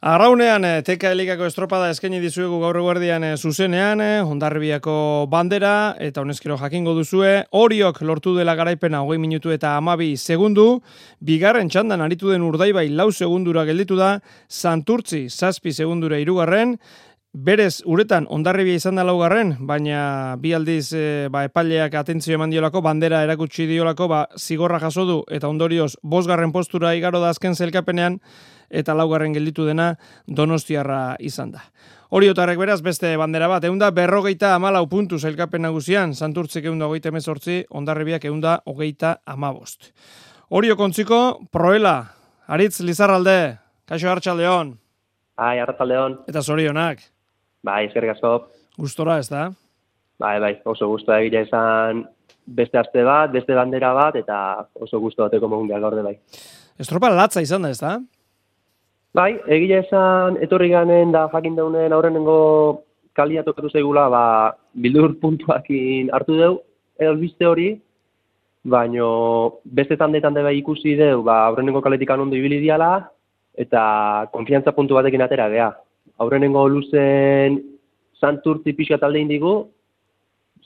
Arraunean, Teka Elikako estropada eskaini dizuegu gaur eguerdian zuzenean, Hondarribiako bandera, eta honezkero jakingo duzue, Oriok lortu dela garaipena 20 minutu eta 12 segundu, bigarren txandan aritu den Urdaibai 4 segundura gelditu da, Santurtzi 7 segundura 3, berez uretan Hondarribia izan da 4, baina bi aldiz epaileak atentzio eman diolako, bandera erakutsi diolako, zigorra jaso du, eta ondorioz 5. postura igaro da azken zelkapenean, eta 4. gelditu dena Donostiarra izan da. Oriotarrek beraz beste bandera bat, 154 puntu sailkapen nagusian, Santurtzik 138, Hondarribiak 135. Orio kontziko, Proela, Aritz Lizarralde, kaixo Arratsaldeon. Bai, Arratsaldeon. Eta zorionak. Bai, eskerrik asko. Gustora, ez da? Bai, oso gustora egia izan beste aste bat, beste bandera bat, eta oso gustu bateko mundial gaur bai. Estropa latza izan da, ez da? Bai, egia esan etorri ganen da jakin daunen aurrenengo kalia tokatu zaigula, bildur puntuakin hartu deu, albiste hori, baino beste tande bai ikusi deu, aurrenengo kaletikan ondo ibili diala, eta konfiantza puntu batekin atera gea. Aurrenengo luzen Santurtzi pixka talde indigu,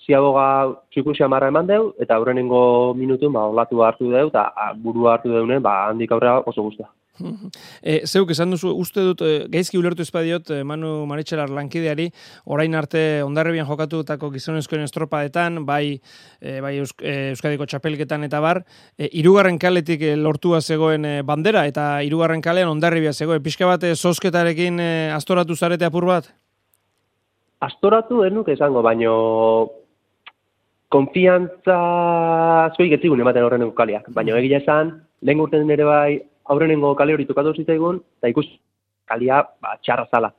ziaboga txikusia marra eman deu, eta aurrenengo minutun olatu hartu deu, eta burua hartu deunen, handik aurrera oso guztua. Zeuk esan duzu, uste dut, gaizki ulertu espadiot, Manu Maritxelar lankideari, orain arte Hondarribian jokatutako gizonezkoen estropadetan, bai Euskadiko txapelketan eta bar, 3. kaletik lortua zegoen bandera, eta 3. kalean Hondarribia zegoen. Pixka bat, zozketarekin astoratu zarete apur bat? Astoratu denuk esango, baino konfiantza zuik etzigun ematen horreneko kaliak. Baina egia esan, lehen urten ere bai aurrenengo kale hori tokatu zitzaigun, eta ikusi kalia txarra zala.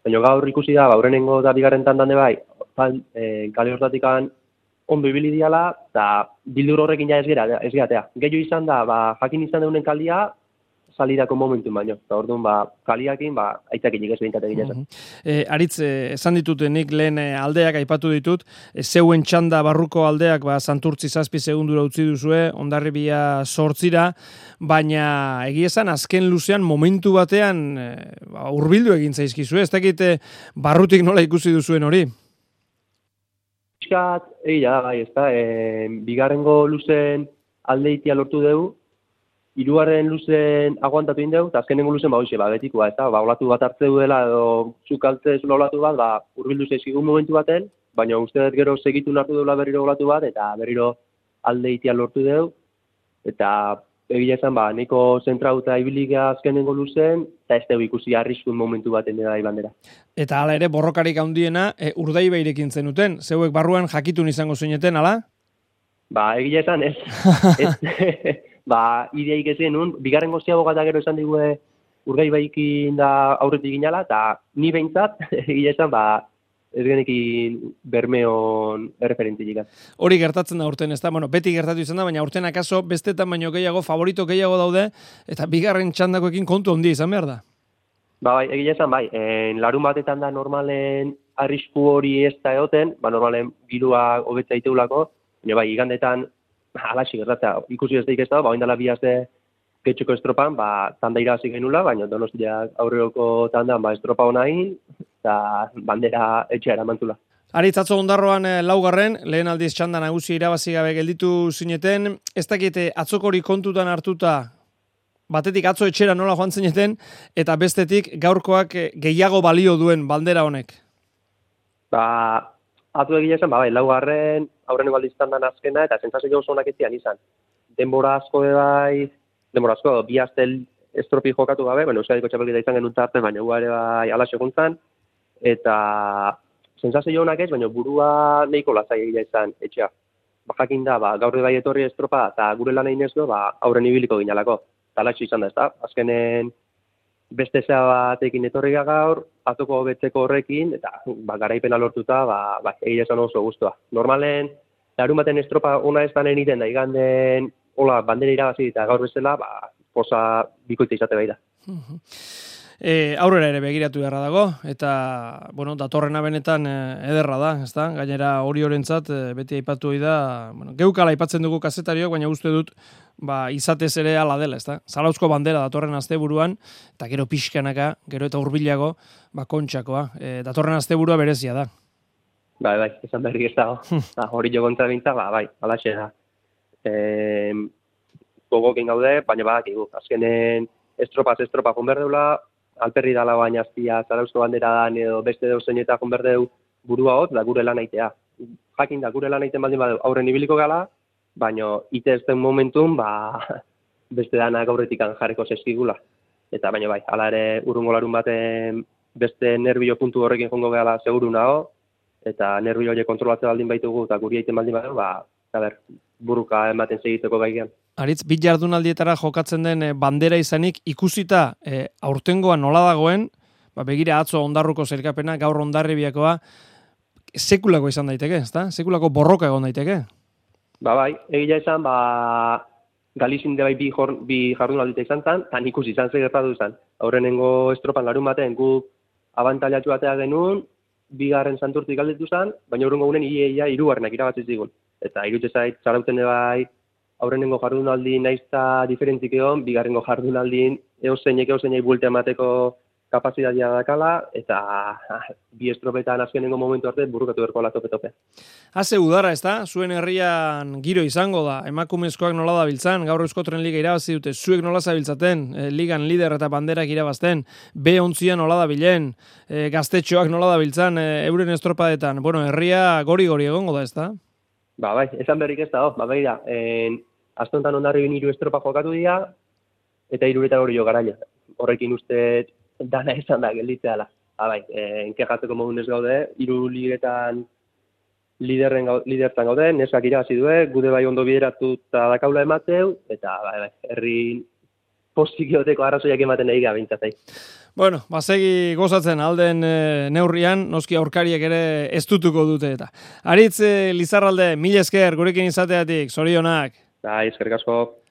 Baina gaur ikusi da, aurrenengo da bigarren tandan de bai, kale hortatik ondo ibili diala, eta bildur horrekin ja ez gehatea. Gehiago izan da, jakin izan deunen kalia, salidako momentu baino. Eta orduan, kaliakin, aitzakinik ez behinkat egin esan. Aritz, esan ditut nik lehen aldeak aipatu ditut, zeuen txanda barruko aldeak Santurtzi 7 segundura utzi duzue, Hondarribia 8, baina egia esan azken luzean momentu batean hurbildu egin zaizkizue, ez dakit barrutik nola ikusi duzuen hori? Piskat, egia bai, ez da, bigarrengo luzen aldeitia lortu dugu, 3. luzen aguantatu indeu, eta azkenengo luzen betikoa, ez da, olatu bat hartze duela, edo zukaltze zula olatu bat, hurbildu zaizkigun momentu baten, baina uste dut gero segitu hartu duela berriro olatu bat, eta berriro aldeitia lortu dugu, eta egia esan, nahiko zentrauta ibiliga azkenengo luzen, eta ez dugu ikusi arriskun momentu baten dira bandera. Eta hala ere, borrokarik handiena, Urdaibairekin zenuten, zeuek barruan jakitun izango zineten, ala? Egia esan, ez. Ideaik ez genuen, bigarren ziaboga eta gero esan digue Urdaibaikin da aurretik ginala, eta ni behintzat, egia esan, ez genekin Bermeon erreferentik. Hori gertatzen da urten, ez da? Beti gertatu izan da, baina urten akaso bestetan baino gehiago, favorito gehiago daude, eta bigarren txandakoekin kontu handia izan behar da. Egia esan, larun batetan da normalen arrisku hori ez da egoten, normalen girua hobetza iteulako, baina igandetan alaxi gertatzea, ikusi ez daik ez da, oindala bi aste getxoko estropan, tanda irabazi genula, baina Donostiak aurreroko tandan estropa honain, eta bandera etxea eramantzula. Aritz, atzo Ondarroan 4, lehen aldiz txanda nagusi irabazi gabe gelditu zineten, ez dakite atzokori kontutan hartuta, batetik atzo etxera nola joan zineten, eta bestetik gaurkoak gehiago balio duen bandera honek? Atzo egia esan, 4, aurreneko aldiz tandan azkena, eta sentsazio oso onak etzian izan. Denbora asko, bi aste estropi jokatu gabe, Euskadiko txapelketa izan genuen tarte, baina ere ala seguntzan, eta sentsazio onak ez, baina burua nahiko lazai egia izan etxea. Jakin da, gaur bai etorri estropa, eta gure lan egin ez du, aurren ibiliko ginalako. Eta alatxo izan da, ez da? Azkenen beste zea batekin etorri gaur, atzoko betzeko horrekin, eta garaipena lortuta, egia esan oso guztua. Normalen, larun baten estropa ona ez danen iten da, iganden, bandera irabazi eta gaur bezala, posa bikoitza izate bai da. Aurrera ere begiratu beharra dago, eta, bueno, datorrena benetan ederra da, ezta? Gainera Oriorentzat beti aipatu ohi da, bueno, geukala aipatzen dugu kazetariok, baina uste dut, izatez ere ala dela, ezta? Zarauzko bandera datorren asteburuan, eta gero pixkanaka, gero eta hurbilago, kontxakoa. Datorren asteburua berezia da. Bai, esan berrik ez dago. Hori jogontza bintza, bai, alaxe da. Gogokin gaude, baina badakigu. Azkenen estropa jonberdeula, alperri dala baina azpia Zarauzko bandera dan edo beste deuzen eta jonberdeu burua hot, da gure lan aitea. Jakin da gure lan aiten baldin badeu aurren ibiliko gala, baina ite ez den momentun, beste danak aurretikan jarriko zeskigula. Eta baina bai, hala ere urrungo larun baten beste nerbio puntu horrekin jongo gehala seguru nago, eta nerbio horiek kontrolatzen baldin baitugu eta guri aiten baldin badeu, buruka ematen segiteko gaigean. Aritz, bit jardunaldietara jokatzen den bandera izanik ikusita aurtengoa nola dagoen, begira atzo Ondarruko sailkapena, gaur Hondarribiakoa, sekulako izan daiteke, ezta? Sekulako borroka egon daiteke. Bai, egia esan, Galizin bai bi jardunaldita izan zen, eta ikusi izan gertatu izan. Aurrenengo estropan larun baten guk abantailatxu batea genuen, bigarren santurtik galdetu zen, baina aurrengo gunen ia hirugarrenak irabazi zigun. Eta irutze zait, Zarauten bai, aurrenengo jardunaldi naizta diferentzik egon, bigarrengo jardunaldin eozeinek buelta emateko kapazitatea dakala, eta bi estropetan azkenengo momentu arte burukatu berko ala tope-tope. Haze udara, ez da? Zuen herrian giro izango da, emakumezkoak nola dabiltzan, gaur Euskotren Liga irabazi dute, zuek nola zabiltzaten, ligan lider eta banderak irabazten, B11 nola dabilen, gaztetxoak nola dabiltzan, euren estropadetan, herria gori-gori egongo da, ez da? Bai, esan berrik ez da, begira, astontan Hondarribin 3 estropa jokatu dira, eta 3 hori jo garaia. Horrekin uste dana esan da gelditzeala. Enkejatzeko modun ez gaude, 3 ligetan lidertan gaude, neskak irabazi due, gude bai ondo bideratu eta dakaula emateu, eta herri positioteko arrazoiak ematen nahi gabintzatai. Segi gozatzen alden neurrian, noski aurkariak ere ez dutuko dute eta. Aritz Lizarralde, mila esker gurekin izateatik, zorionak. Eskerrik asko.